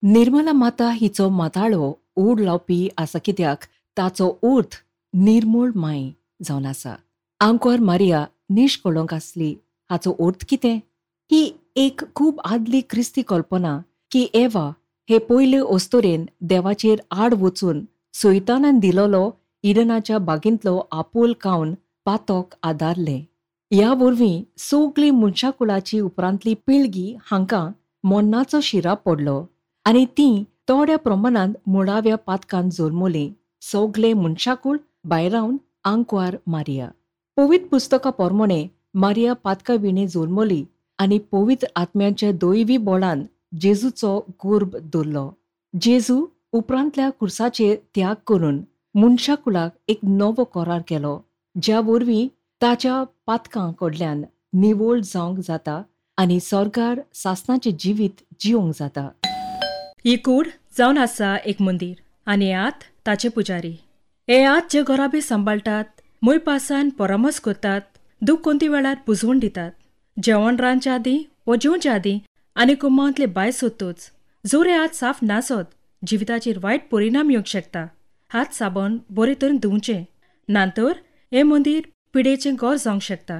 निर्मला माता हिचो माताळो ओड लावपी आसा, कित्याक ताचो अर्थ निर्मूळ माय जावन आसा. आंकवार मारिया निश्कळंक आसली हाचो अर्थ कितें? ही एक खूब आदली क्रिस्ती कल्पना की एवा हे पयले अस्तुरेन देवाचेर आड वचून सैतानान दिलोलो इडनाच्या बागेंतलो आपोल खावन पातक आदारलें. ह्या वरवीं सगळी मनशाकुळाची उपरांतली पिळगी हांकां मरणाचो शिराप पडलो आनी तीं थोड्या प्रमाणांत मुळाव्या पातकान जल्मलीं. सगळे मनशाकूळ भायरावन आंकवार मारिया. पवित्र पुस्तका प्रमाणे मारिया पातका विणे जल्मली आनी पवित्र आत्म्याच्या दैवी बळान जेजूचो गर्भ धरलो. जेजू उपरांतल्या खुर्साचेर त्याग करून मनशाकुळाक एक नवो करार केलो, ज्या वरवीं ताच्या पातकां कडल्यान निवळ जावंक जाता आनी सरकार सासणाचें जिवीत जिवंक जाता. ही कूड जावन आसा एक मंदीर आनी आत ताचे पुजारी. हे आत जे घराबे सांबाळटात, मोयपासान परामर्श करतात, दूख कोणती वेळार पुजवण दितात. जेवण रांदच्या आदीं वो जेवच्या आदीं आनी कुमांतले भायर सोदतोच जर हे हात साफ नासत जिविताचेर वायट परिणाम येवंक शकता. हात साबण बरे तरेन धुवचें, ना तर हें मंदीर पिडेचें घर जावंक शकता.